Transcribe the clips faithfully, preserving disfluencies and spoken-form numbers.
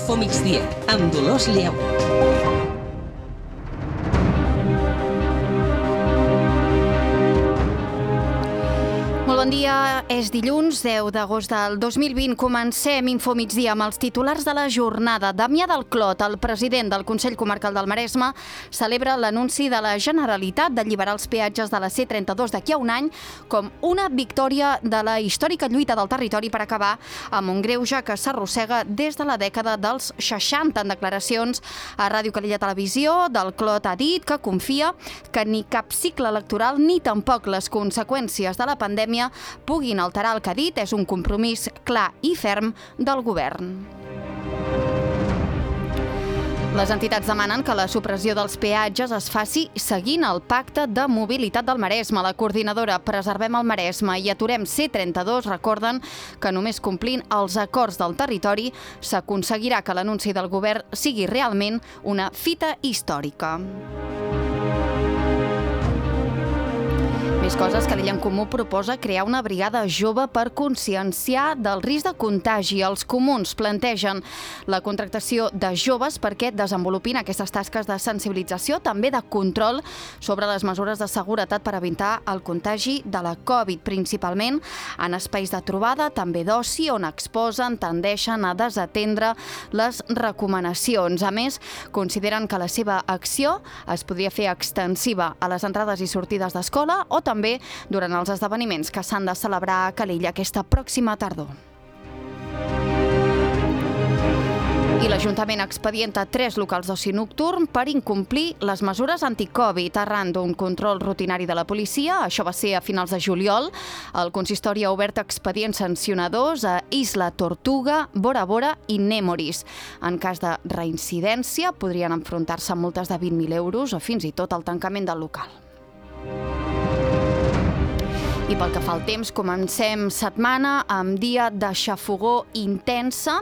Infomigdia, amb Dolors Lleó. Molt bon dia, és dilluns, deu d'agost del dos mil vint. Comencem Infomigdia amb els titulars de la jornada. Damià del Clot, el president del Consell Comarcal del Maresme, celebra l'anunci de la Generalitat d'alliberar els peatges de la C trenta-dos d'aquí a un any com una victòria de la històrica lluita del territori per acabar amb un greuge que s'arrossega des de la dècada dels seixanta. En declaracions a Ràdio Calella Televisió, del Clot ha dit que confia que ni cap cicle electoral ni tampoc les conseqüències de la pandèmia puguin alterar el que ha dit. És un compromís clar i ferm del govern. Les entitats demanen que la supressió dels peatges es faci seguint el Pacte de Mobilitat del Maresme. La coordinadora Preservem el Maresme i Aturem C trenta-dos recorden que només complint els acords del territori s'aconseguirà que l'anunci del govern sigui realment una fita històrica. Més coses. Calella en Comú proposa crear una brigada jove per conscienciar del risc de contagi. Els comuns plantegen la contractació de joves perquè desenvolupin aquestes tasques de sensibilització, també de control sobre les mesures de seguretat per evitar el contagi de la Covid, principalment en espais de trobada, també d'oci, on exposen, tendeixen a desatendre les recomanacions. A més, consideren que la seva acció es podria fer extensiva a les entrades i sortides d'escola o també també durant els esdeveniments que s'han de celebrar a Calella aquesta pròxima tardor. I l'Ajuntament expedienta tres locals d'oci nocturn per incomplir les mesures anticovid arran d'un control rutinari de la policia. Això va ser a finals de juliol. El consistori ha obert expedients sancionadors a Isla Tortuga, Bora Bora i Nemoris. En cas de reincidència, podrien enfrontar-se a multes de vint mil euros o fins i tot el tancament del local. I pel que fa al temps, comencem setmana amb dia de xafogor intensa.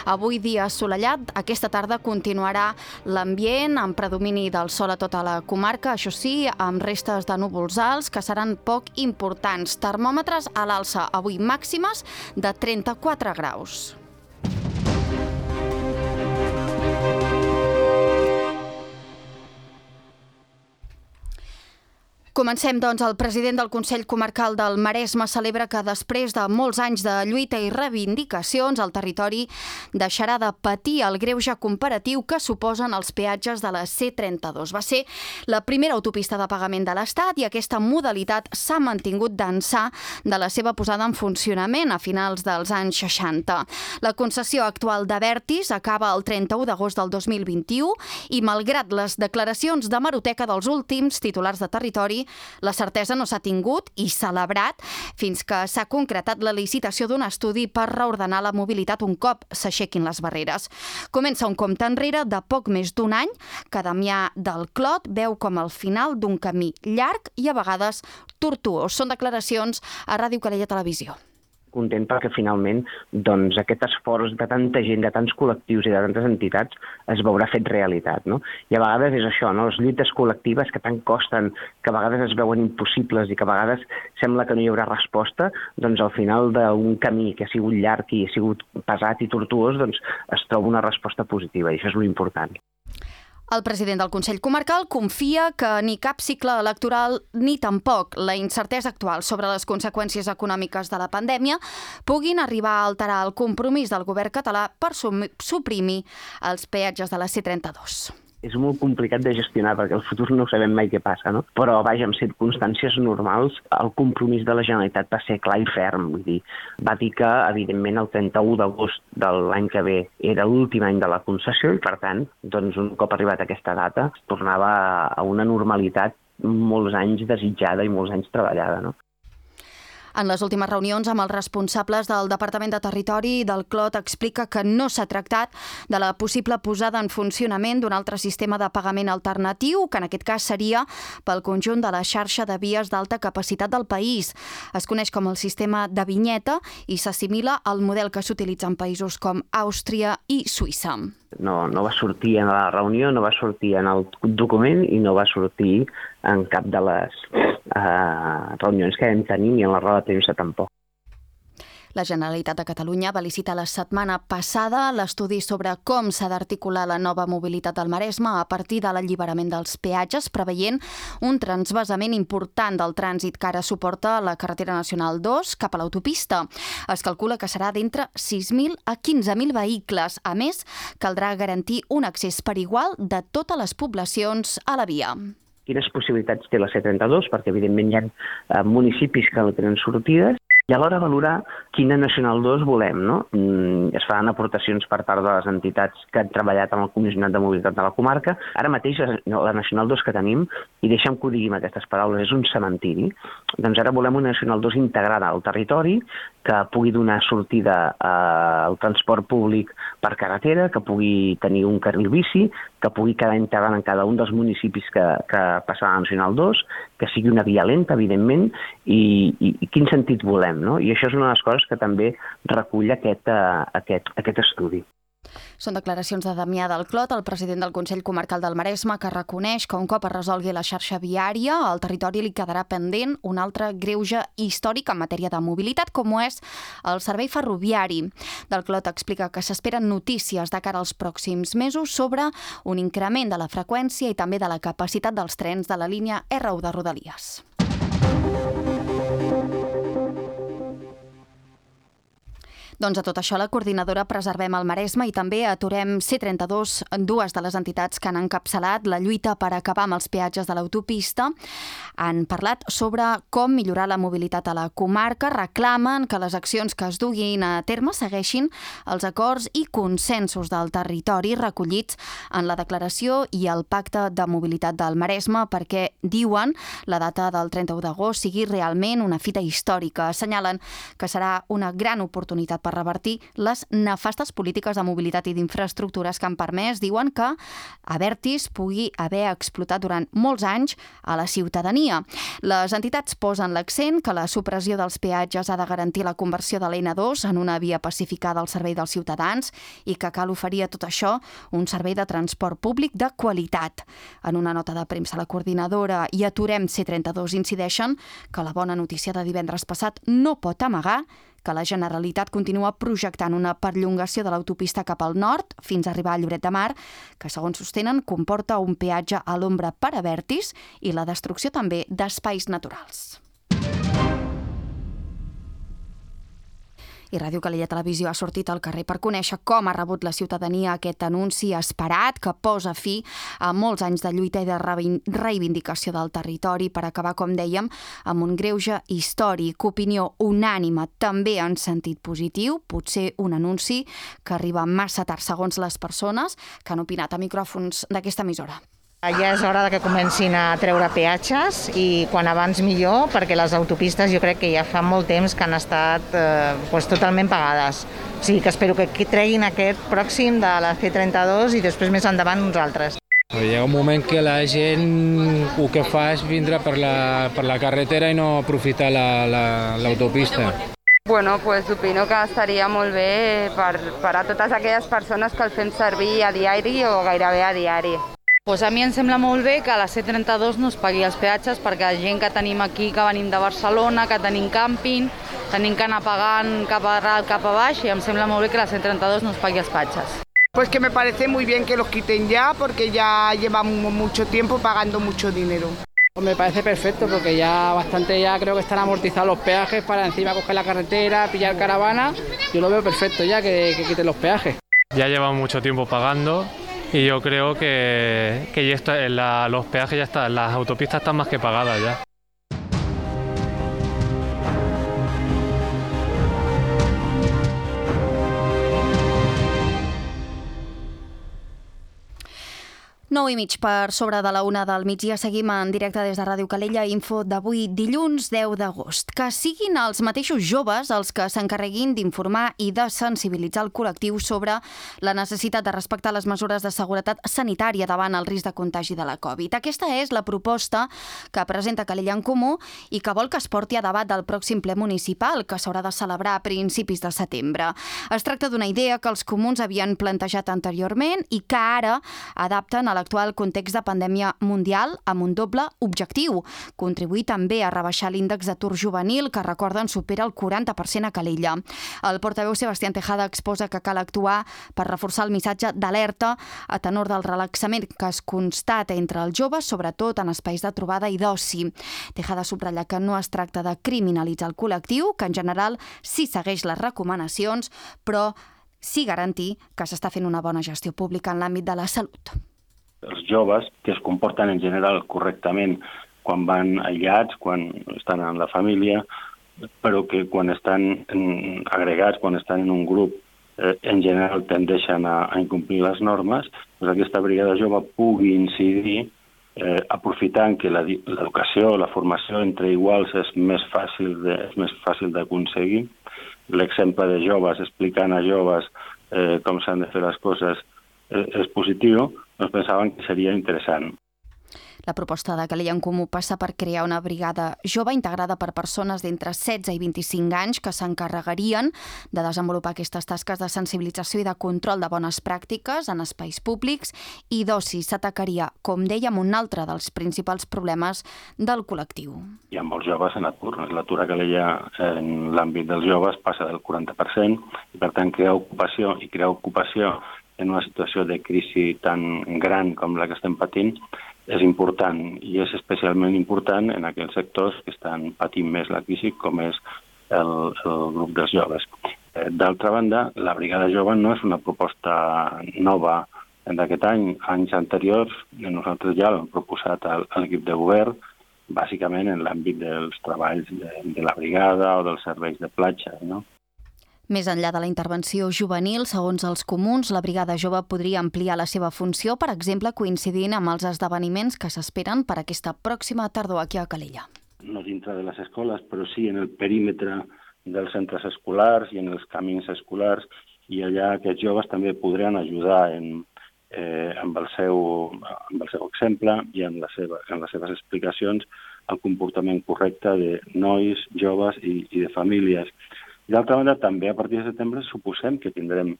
Avui dia assolellat, aquesta tarda continuarà l'ambient amb predomini del sol a tota la comarca, això sí, amb restes de núvols alts que seran poc importants. Termòmetres a l'alça, avui màximes de trenta-quatre graus. Comencem, doncs. El president del Consell Comarcal del Maresme celebra que després de molts anys de lluita i reivindicacions el territori deixarà de patir el greuge comparatiu que suposen els peatges de la C trenta-dos. Va ser la primera autopista de pagament de l'Estat i aquesta modalitat s'ha mantingut d'ençà de la seva posada en funcionament a finals dels anys seixanta. La concessió actual d'Abertis acaba el trenta-u d'agost del dos mil vint-i-u i, malgrat les declaracions d'hemeroteca dels últims titulars de territori, la certesa no s'ha tingut i celebrat fins que s'ha concretat la licitació d'un estudi per reordenar la mobilitat un cop s'aixequin les barreres. Comença un compte enrere de poc més d'un any que Damià del Clot veu com el final d'un camí llarg i a vegades tortuós. Són declaracions a Ràdio Calella Televisió. Content perquè finalment doncs, aquest esforç de tanta gent, de tants col·lectius i de tantes entitats es veurà fet realitat. No? I a vegades és això, no? Les lluites col·lectives que tant costen, que a vegades es veuen impossibles i que a vegades sembla que no hi haurà resposta, doncs al final d'un camí que ha sigut llarg i ha sigut pesat i tortuós, doncs es troba una resposta positiva i això és l'important. El president del Consell Comarcal confia que ni cap cicle electoral ni tampoc la incertesa actual sobre les conseqüències econòmiques de la pandèmia puguin arribar a alterar el compromís del govern català per suprimir els peatges de la C trenta-dos. És molt complicat de gestionar perquè el futur no sabem mai què passa, no? Però, vaja, en circumstàncies normals, el compromís de la Generalitat va ser clar i ferm. Vull dir, va dir que, evidentment, el trenta-u d'agost de l'any que ve era l'últim any de la concessió i, per tant, doncs, un cop arribat a aquesta data, es tornava a una normalitat molts anys desitjada i molts anys treballada, no? En les últimes reunions amb els responsables del Departament de Territori del Clot explica que no s'ha tractat de la possible posada en funcionament d'un altre sistema de pagament alternatiu, que en aquest cas seria pel conjunt de la xarxa de vies d'alta capacitat del país. Es coneix com el sistema de vinyeta i s'assimila al model que s'utilitza en països com Àustria i Suïssa. No, no va sortir en la reunió, no va sortir en el document i no va sortir en cap de les eh, reunions que vam tenir ni en la roda de premsa tampoc. La Generalitat de Catalunya va licitar la setmana passada l'estudi sobre com s'ha d'articular la nova mobilitat del Maresme a partir de l'alliberament dels peatges, preveient un transvasament important del trànsit que ara suporta la carretera nacional dos cap a l'autopista. Es calcula que serà d'entre sis mil a quinze mil vehicles. A més, caldrà garantir un accés per igual de totes les poblacions a la via. Quines possibilitats té la C trenta-dos, perquè evidentment hi ha eh, municipis que no tenen sortides, i alhora valorar quina Nacional dos volem, no? Es faran aportacions per part de les entitats que han treballat amb el Comissionat de Mobilitat de la comarca. Ara mateix la Nacional dos que tenim, i deixa'm que ho digui amb aquestes paraules, és un cementiri. Doncs ara volem una Nacional dos integrada al territori, que pugui donar sortida al transport públic per carretera, que pugui tenir un carril bici, que pugui quedar integrant en cada un dels municipis que, que passa a la Nacional dos, que sigui una via lenta, evidentment, i, i, i quin sentit volem, no? I això és una de les coses que també recull aquest, uh, aquest, aquest estudi. Són declaracions de Damià del Clot, el president del Consell Comarcal del Maresme, que reconeix que un cop es resolgui la xarxa viària, al territori li quedarà pendent un altre greuge històric en matèria de mobilitat, com ho és el servei ferroviari. Del Clot explica que s'esperen notícies de cara als pròxims mesos sobre un increment de la freqüència i també de la capacitat dels trens de la línia erre u de Rodalies. Doncs a tot això, la coordinadora Preservem el Maresme i també Aturem C trenta-dos, dues de les entitats que han encapçalat la lluita per acabar amb els peatges de l'autopista, han parlat sobre com millorar la mobilitat a la comarca, reclamen que les accions que es duguin a terme segueixin els acords i consensos del territori recollits en la declaració i el pacte de mobilitat del Maresme, perquè, diuen, la data del trenta-u d'agost sigui realment una fita històrica. Assenyalen que serà una gran oportunitat per revertir les nefastes polítiques de mobilitat i d'infraestructures que han permès, diuen, que Abertis pugui haver explotat durant molts anys a la ciutadania. Les entitats posen l'accent que la supressió dels peatges ha de garantir la conversió de l'N dos en una via pacificada al servei dels ciutadans i que cal oferir a tot això un servei de transport públic de qualitat. En una nota de premsa, la coordinadora i Aturem C trenta-dos incideixen que la bona notícia de divendres passat no pot amagar que la Generalitat continua projectant una perllongació de l'autopista cap al nord fins a arribar a Lloret de Mar, que, segons sostenen, comporta un peatge a l'ombra per Abertis i la destrucció també d'espais naturals. I Ràdio Calella Televisió ha sortit al carrer per conèixer com ha rebut la ciutadania aquest anunci esperat que posa fi a molts anys de lluita i de reivindicació del territori per acabar, com dèiem, amb un greuge històric. Opinió unànime, també en sentit positiu, potser un anunci que arriba massa tard segons les persones que han opinat a micròfons d'aquesta emissora. Ja és hora que comencin a treure peatges i quan abans millor, perquè les autopistes jo crec que ja fa molt temps que han estat eh, pues, totalment pagades. O sigui que espero que treguin aquest pròxim de la C trenta-dos i després més endavant uns altres. Hi ha un moment que la gent el que fa és vindre per la, per la carretera i no aprofitar l'autopista. La, la, Bueno, pues opino que estaria molt bé per, per a totes aquelles persones que el fem servir a diari o gairebé a diari. Pues a mi em sembla molt bé que la C trenta-dos no es pagui els peatges perquè la gent que tenim aquí, que venim de Barcelona, que tenim càmping, tenim que anar pagant cap a dalt, cap a baix, i em sembla molt bé que la C trenta-dos no es pagui els peatges. Pues que me parece muy bien que los quiten ya porque ya llevamos mucho tiempo pagando mucho dinero. Pues me parece perfecto porque ya bastante ya creo que están amortizados los peajes para encima coger la carretera, pillar caravana. Yo lo veo perfecto ya que, que quiten los peajes. Ya llevan mucho tiempo pagando. Y yo creo que, que ya está, la, los peajes ya están, las autopistas están más que pagadas ya. nou i mig per sobre de la una del migdia. Seguim en directe des de Ràdio Calella. Info d'avui, dilluns deu d'agost. Que siguin els mateixos joves els que s'encarreguin d'informar i de sensibilitzar el col·lectiu sobre la necessitat de respectar les mesures de seguretat sanitària davant el risc de contagi de la Covid. Aquesta és la proposta que presenta Calella en Comú i que vol que es porti a debat del pròxim ple municipal, que s'haurà de celebrar a principis de setembre. Es tracta d'una idea que els comuns havien plantejat anteriorment i que ara adapten a la l'actual context de pandèmia mundial amb un doble objectiu, contribuir també a rebaixar l'índex d'atur juvenil, que recorden supera el quaranta per cent a Calella. El portaveu Sebastián Tejada exposa que cal actuar per reforçar el missatge d'alerta a tenor del relaxament que es constata entre els joves, sobretot en espais de trobada i d'oci. Tejada subratlla que no es tracta de criminalitzar el col·lectiu, que en general sí segueix les recomanacions, però sí garantir que s'està fent una bona gestió pública en l'àmbit de la salut. Els joves, que es comporten en general correctament quan van aïllats, quan estan en la família, però que quan estan agregats, quan estan en un grup, eh, en general tendeixen a, a incomplir les normes, doncs aquesta brigada jove pugui incidir eh, aprofitant que l'educació, la formació entre iguals és més fàcil de, és més fàcil d'aconseguir. L'exemple de joves explicant a joves eh, com s'han de fer les coses eh, és positiu, doncs pensaven que seria interessant. La proposta de Calella en Comú passa per crear una brigada jove integrada per persones d'entre setze i vint-i-cinc anys que s'encarregarien de desenvolupar aquestes tasques de sensibilització i de control de bones pràctiques en espais públics i d'oci. S'atacaria, com dèiem, un altre dels principals problemes del col·lectiu. Hi ha molts joves en atur. L'atur a Calella en l'àmbit dels joves passa del quaranta per cent i, per tant, crear ocupació i crear ocupació en una situació de crisi tan gran com la que estem patint és important, i és especialment important en aquells sectors que estan patint més la crisi, com és el, el grup dels joves. D'altra banda, la Brigada Jove no és una proposta nova d'aquest any. Anys anteriors, nosaltres ja l'hem proposat a l'equip de govern, bàsicament en l'àmbit dels treballs de, de la brigada o dels serveis de platja, no? Més enllà de la intervenció juvenil, segons els comuns, la Brigada Jove podria ampliar la seva funció, per exemple, coincidint amb els esdeveniments que s'esperen per aquesta pròxima tardor aquí a Calella. No dintre de les escoles, però sí en el perímetre dels centres escolars i en els camins escolars, i allà aquests joves també podran ajudar en, eh, amb, el seu, amb el seu exemple i en, la seva, en les seves explicacions el comportament correcte de nois, joves i, i de famílies. I d'altra banda, també a partir de setembre suposem que tindrem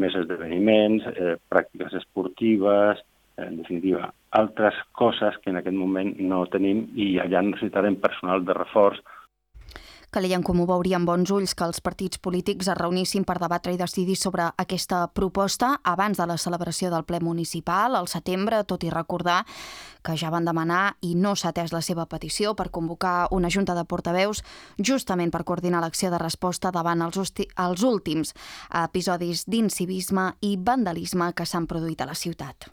més esdeveniments, eh, pràctiques esportives, eh, en definitiva, altres coses que en aquest moment no tenim i allà necessitarem personal de reforç. Calella en Comú veuria amb bons ulls que els partits polítics es reunissin per debatre i decidir sobre aquesta proposta abans de la celebració del ple municipal al setembre, tot i recordar que ja van demanar i no s'ha atès la seva petició per convocar una junta de portaveus justament per coordinar l'acció de resposta davant els, els últims episodis d'incivisme i vandalisme que s'han produït a la ciutat.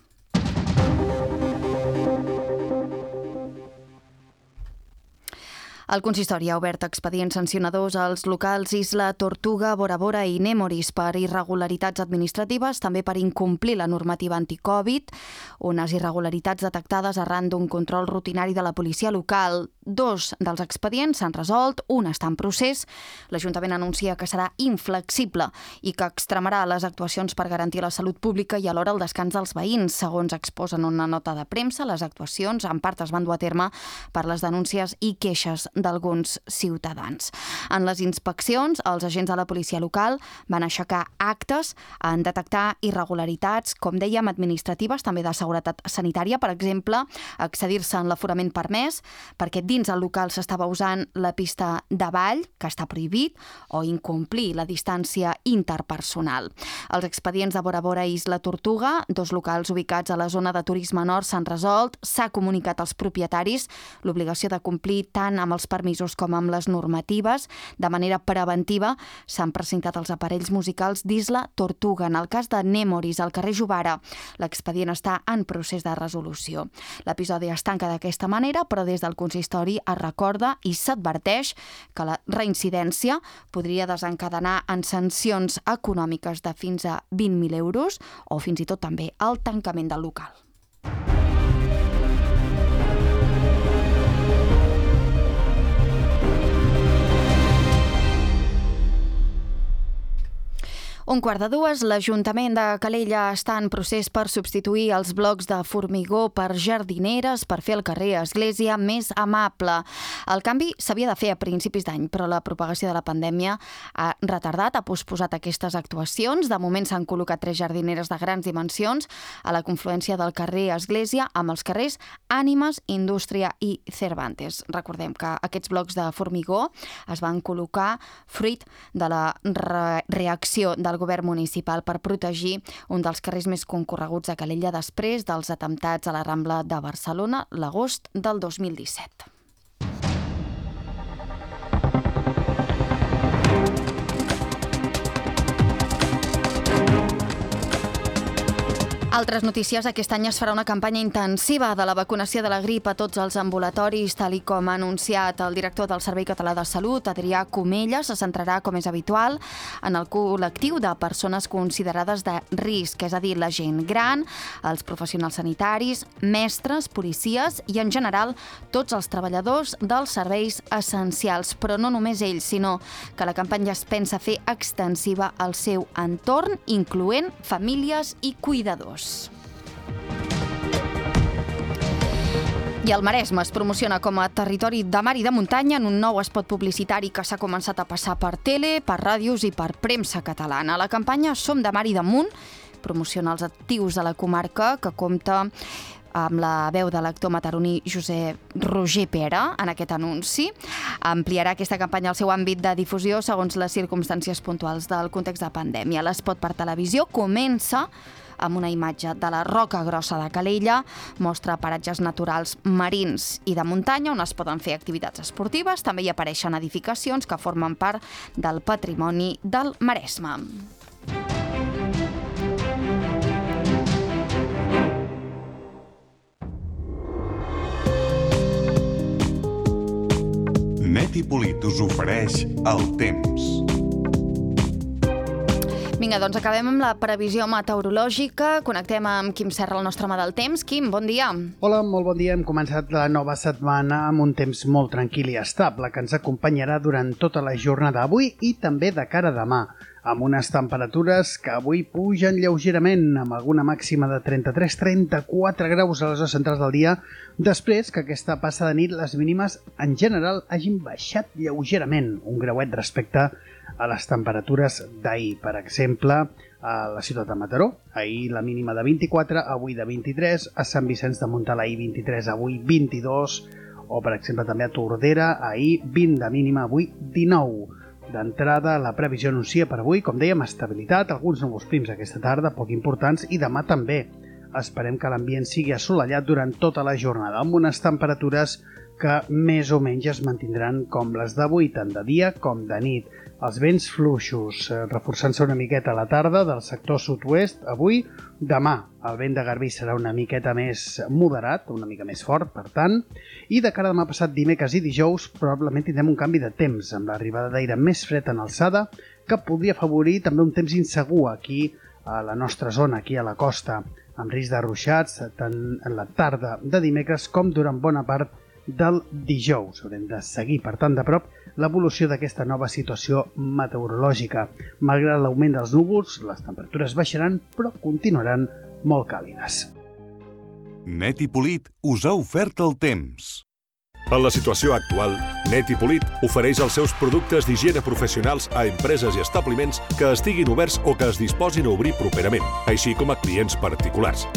El consistori ha obert expedients sancionadors als locals Isla Tortuga, Bora Bora i Nemoris per irregularitats administratives, també per incomplir la normativa anticovid, unes irregularitats detectades arran d'un control rutinari de la policia local. Dos dels expedients s'han resolt, un està en procés. L'Ajuntament anuncia que serà inflexible i que extremarà les actuacions per garantir la salut pública i alhora el descans dels veïns. Segons exposen una nota de premsa, les actuacions en part es van dur a terme per les denúncies i queixes d'alguns ciutadans. En les inspeccions, els agents de la policia local van aixecar actes en detectar irregularitats, com dèiem, administratives, també de seguretat sanitària, per exemple, accedir-se en l'aforament permès, perquè dins el local s'estava usant la pista de ball, que està prohibit, o incomplir la distància interpersonal. Els expedients de Bora Bora i Isla Tortuga, dos locals ubicats a la zona de turisme nord, s'han resolt. S'ha comunicat als propietaris l'obligació de complir tant amb els permisos com amb les normatives. De manera preventiva s'han presentat els aparells musicals d'Isla Tortuga. En el cas de Nemoris, al carrer Jovara, l'expedient està en procés de resolució. L'episodi es tanca d'aquesta manera, però des del consistori es recorda i s'adverteix que la reincidència podria desencadenar en sancions econòmiques de fins a vint mil euros o fins i tot també el tancament del local. Un quart de dues, l'Ajuntament de Calella està en procés per substituir els blocs de formigó per jardineres per fer el carrer Església més amable. El canvi s'havia de fer a principis d'any, però la propagació de la pandèmia ha retardat, ha posposat aquestes actuacions. De moment s'han col·locat tres jardineres de grans dimensions a la confluència del carrer Església amb els carrers Ànimes, Indústria i Cervantes. Recordem que aquests blocs de formigó es van col·locar fruit de la re reacció del govern municipal per protegir un dels carrers més concorreguts de Calella després dels atemptats a la Rambla de Barcelona l'agost del dos mil disset. Altres notícies, aquest any es farà una campanya intensiva de la vacunació de la grip a tots els ambulatoris, tal i com ha anunciat el director del Servei Català de Salut, Adrià Comella. Se centrarà, com és habitual, en el col·lectiu de persones considerades de risc, és a dir, la gent gran, els professionals sanitaris, mestres, policies i, en general, tots els treballadors dels serveis essencials. Però no només ells, sinó que la campanya es pensa fer extensiva al seu entorn, incloent famílies i cuidadors. I el Maresme es promociona com a territori de mar i de muntanya en un nou espot publicitari que s'ha començat a passar per tele, per ràdios i per premsa catalana. La campanya Som de mar i damunt promociona els actius de la comarca, que compta amb la veu de l'actor mataroní Josep Roger Pera en aquest anunci. Ampliarà aquesta campanya al seu àmbit de difusió segons les circumstàncies puntuals del context de pandèmia. L'espot per televisió comença amb una imatge de la Roca Grossa de Calella, mostra paratges naturals marins i de muntanya on es poden fer activitats esportives. També hi apareixen edificacions que formen part del patrimoni del Maresme. Net i Polit us ofereix el temps. Vinga, doncs acabem amb la previsió meteorològica. Connectem amb Quim Serra, el nostre home del temps. Quim, bon dia. Hola, molt bon dia. Hem començat la nova setmana amb un temps molt tranquil i estable que ens acompanyarà durant tota la jornada d'avui i també de cara a demà, amb unes temperatures que avui pugen lleugerament, amb alguna màxima de trenta-tres a trenta-quatre graus a les hores centrals del dia, després que aquesta passa de nit les mínimes en general hagin baixat lleugerament, un grauet respecte a les temperatures d'ahir. Per exemple, a la ciutat de Mataró, ahir la mínima de vint-i-quatre, avui de vint-i-tres, a Sant Vicenç de Montalt ahir vint-i-tres, avui vint-i-dos, o per exemple també a Tordera, ahir vint de mínima, avui dinou. D'entrada, la previsió anuncia per avui, com dèiem, estabilitat, alguns núvols prims aquesta tarda, poc importants, i demà també. Esperem que l'ambient sigui assolellat durant tota la jornada, amb unes temperatures que més o menys es mantindran com les d'avui, tant de dia com de nit. Els vents fluixos, eh, reforçant-se una miqueta a la tarda del sector sud-oest. Avui, demà, el vent de Garbí serà una miqueta més moderat, una mica més fort, per tant, i de cara a demà passat dimecres i dijous probablement tindrem un canvi de temps, amb l'arribada d'aire més fred en alçada, que podria afavorir també un temps insegur aquí a la nostra zona, aquí a la costa, amb risc de ruixats tant en la tarda de dimecres com durant bona part del dijous. Haurem de seguir, per tant, de prop l'evolució d'aquesta nova situació meteorològica. Malgrat l'augment dels núvols, les temperatures baixaran, però continuaran molt càlides. Net i Polit us ha ofert el temps. En la situació actual, Net i Polit ofereix els seus productes d'higiene professionals a empreses i establiments que estiguin oberts o que es disposin a obrir properament, així com a clients particulars.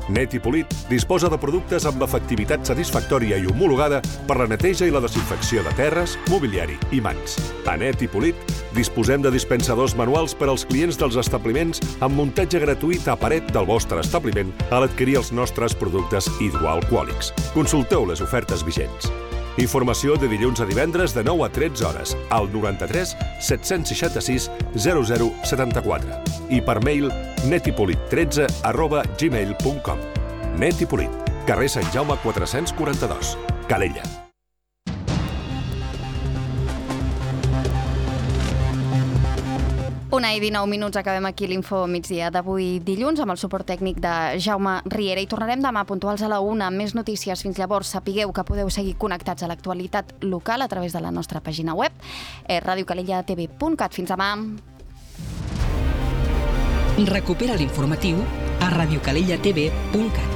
Net i Polit disposa de productes amb efectivitat satisfactòria i homologada per la neteja i la desinfecció de terres, mobiliari i mans. A Net i Polit disposem de dispensadors manuals per als clients dels establiments amb muntatge gratuït a paret del vostre establiment a l'adquirir els nostres productes hidroalcohòlics. Consulteu les ofertes vigents. Informació de dilluns a divendres de nou a tretze hores al noranta-tres set-cents seixanta-sis zero zero setanta-quatre i per mail netipolit tretze arroba gmail punt com. Net i Polit, carrer Sant Jaume quatre-cents quaranta-dos, Calella. Una i dinou minuts, acabem aquí l'info migdia d'avui dilluns amb el suport tècnic de Jaume Riera i tornarem demà puntuals a la una amb més notícies. Fins llavors sapigueu que podeu seguir connectats a l'actualitat local a través de la nostra pàgina web eh, radiocalellatv punt cat. Fins demà. Recupera l'informatiu a radiocalellatv punt cat.